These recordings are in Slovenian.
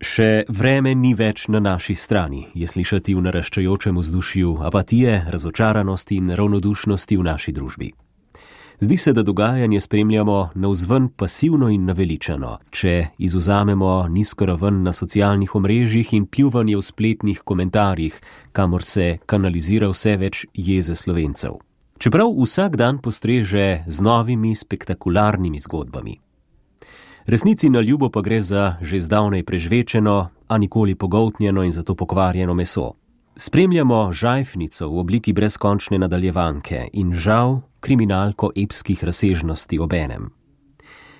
Še vreme ni več na naši strani, je slišati v naraščajočem vzdušju apatije, razočaranosti in ravnodušnosti v naši družbi. Zdi se, da dogajanje spremljamo navzven pasivno in naveličano, če izvzamemo nizko raven na socialnih omrežjih in pljuvanje v spletnih komentarjih, kamor se kanalizira vse več jeze Slovencev. Čeprav vsak dan postreže z novimi spektakularnimi zgodbami. Resnici na ljubo pa gre za že zdavnaj prežvečeno, a nikoli pogoltnjeno in zato pokvarjeno meso. Spremljamo žajfnico v obliki brezkončne nadaljevanke in žal kriminalko epskih razsežnosti obenem.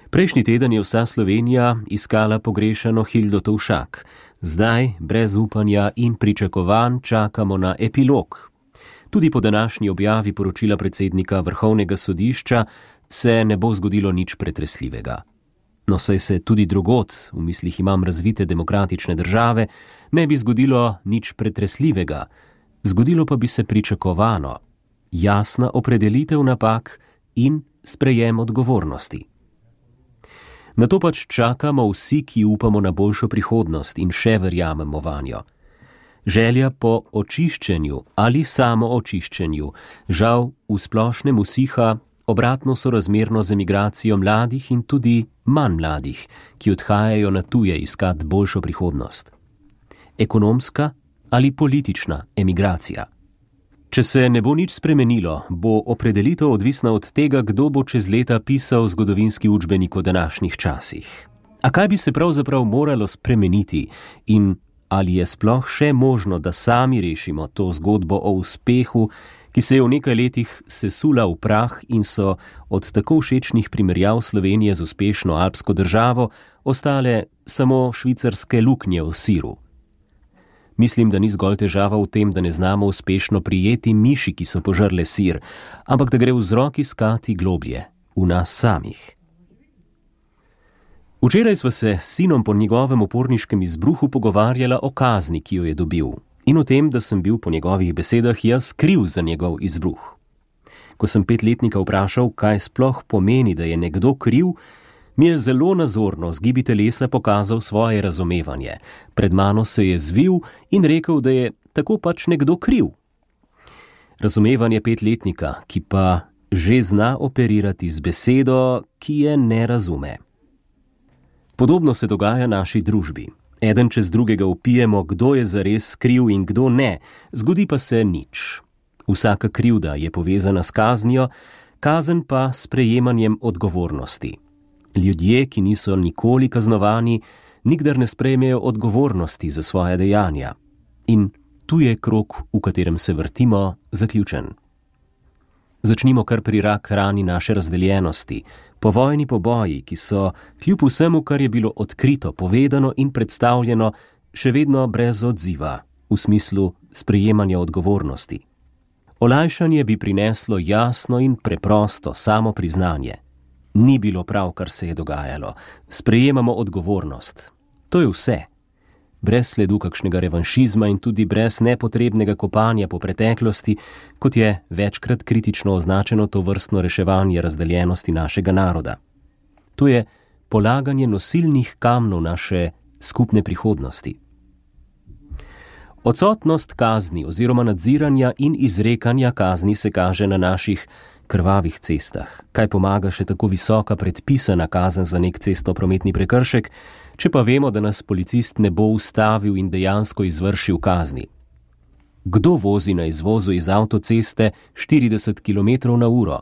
Prejšnji teden je vsa Slovenija iskala pogrešano Hildo Tovšak. Zdaj, brez upanja in pričakovanj, čakamo na epilog. Tudi po današnji objavi poročila predsednika Vrhovnega sodišča se ne bo zgodilo nič pretresljivega. No, saj se tudi drugod, v mislih imam razvite demokratične države, ne bi zgodilo nič pretresljivega. Zgodilo pa bi se pričakovano, jasna opredelitev napak in sprejem odgovornosti. Na to pač čakamo vsi, ki upamo na boljšo prihodnost in še verjamemo vanjo. Želja po očiščenju ali samo očiščenju žal v splošnem usiha, obratno sorazmerno z emigracijo mladih in tudi manj mladih, ki odhajajo na tuje iskat boljšo prihodnost. Ekonomska ali politična emigracija. Če se ne bo nič spremenilo, bo opredelitev odvisna od tega, kdo bo čez leta pisal zgodovinski učbenik o današnjih časih. A kaj bi se pravzaprav moralo spremeniti in ali je sploh še možno, da sami rešimo to zgodbo o uspehu, ki se je v nekaj letih sesula v prah in so od tako všečnih primerjav Slovenije z uspešno alpsko državo ostale samo švicarske luknje v siru. Mislim, da ni zgolj težava v tem, da ne znamo uspešno prijeti miši, ki so požrle sir, ampak da gre vzrok iskati globlje, v nas samih. Včeraj sva se s sinom po njegovem uporniškem izbruhu pogovarjala o kazni, ki jo je dobil, in o tem, da sem bil po njegovih besedah jaz kriv za njegov izbruh. Ko sem 5-letnika vprašal, kaj sploh pomeni, da je nekdo kriv, mi je zelo nazorno z gibi telesa pokazal svoje razumevanje. Pred mano se je zvil in rekel, da je tako pač nekdo kriv. Razumevanje 5-letnika, ki pa že zna operirati z besedo, ki je ne razume. Podobno se dogaja naši družbi. Eden čez drugega vpijemo, kdo je zares kriv in kdo ne, zgodi pa se nič. Vsaka krivda je povezana s kaznijo, kazen pa s prejemanjem odgovornosti. Ljudje, ki niso nikoli kaznovani, nikdar ne sprejmejo odgovornosti za svoje dejanja. In tu je krog, v katerem se vrtimo, zaključen. Začnimo kar pri rak rani naše razdeljenosti, povojni poboji, ki so, kljub vsemu, kar je bilo odkrito, povedano in predstavljeno, še vedno brez odziva, v smislu sprejemanja odgovornosti. Olajšanje bi prineslo jasno in preprosto samo priznanje. Ni bilo prav, kar se je dogajalo. Sprejemamo odgovornost. To je vse. Brez sledu kakšnega revanšizma in tudi brez nepotrebnega kopanja po preteklosti, kot je večkrat kritično označeno to vrstno reševanje razdeljenosti našega naroda. To je polaganje nosilnih kamnov naše skupne prihodnosti. Odsotnost kazni oziroma nadziranja in izrekanja kazni se kaže na naših krvavih cestah. Kaj pomaga še tako visoka predpisana kazen za nek cestnoprometni prekršek, če pa vemo, da nas policist ne bo ustavil in dejansko izvršil kazni? Kdo vozi na izvozu iz avtoceste 40 km/h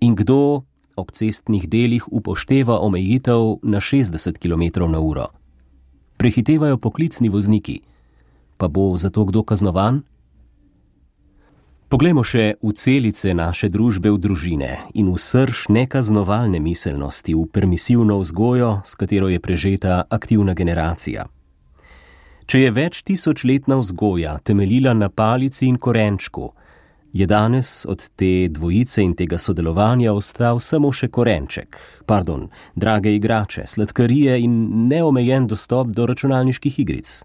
in kdo ob cestnih delih upošteva omejitev na 60 km/h? Prehitevajo poklicni vozniki. Pa bo zato kdo kaznovan? Poglejmo še v celice naše družbe, v družine in v srž nekaznovalne miselnosti, v permisivno vzgojo, s katero je prežeta aktivna generacija. Če je več tisočletna vzgoja temeljila na palici in korenčku, je danes od te dvojice in tega sodelovanja ostal samo še korenček, drage igrače, sladkarije in neomejen dostop do računalniških igric.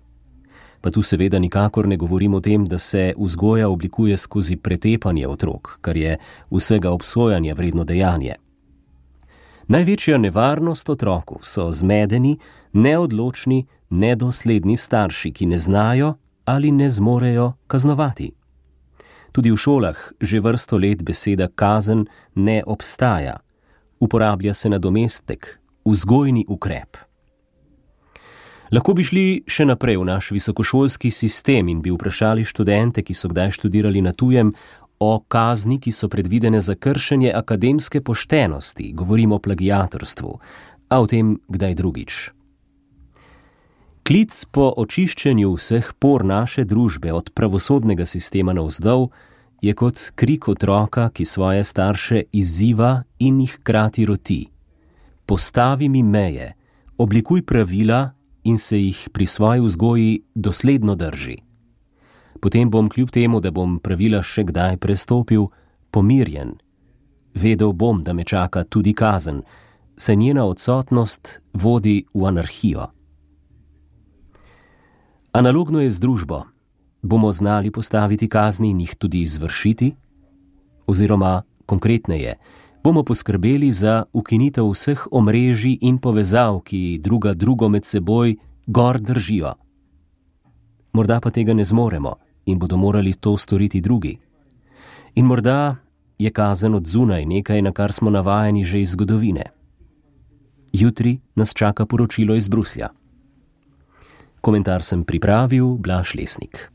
Pa tu seveda nikakor ne govorim o tem, da se vzgoja oblikuje skozi pretepanje otrok, kar je vsega obsojanja vredno dejanje. Največja nevarnost otroku so zmedeni, neodločni, nedosledni starši, ki ne znajo ali ne zmorejo kaznovati. Tudi v šolah že vrsto let beseda kazen ne obstaja. Uporablja se nadomestek, vzgojni ukrep. Lahko bi šli še naprej v naš visokošolski sistem in bi vprašali študente, ki so kdaj študirali na tujem, o kazni, ki so predvidene za kršenje akademske poštenosti, govorimo o plagiatorstvu, a o tem kdaj drugič. Klic po očiščenju vseh por naše družbe od pravosodnega sistema navzdol je kot krik otroka, ki svoje starše izziva in jih hkrati roti. Postavi mi meje, oblikuj pravila in se jih pri svoji vzgoji dosledno drži. Potem bom kljub temu, da bom pravila še kdaj prestopil, pomirjen. Vedel bom, da me čaka tudi kazen, saj njena odsotnost vodi v anarhijo. Analogno je z družbo. Bomo znali postaviti kazni in jih tudi izvršiti? Oziroma, konkretneje, bomo poskrbeli za ukinitev vseh omrežij in povezav, ki drugo med seboj gor držijo. Morda pa tega ne zmoremo in bodo morali to storiti drugi. In morda je kazen od zunaj nekaj, na kar smo navajeni že iz zgodovine. Jutri nas čaka poročilo iz Bruslja. Komentar sem pripravil Blaž Lesnik.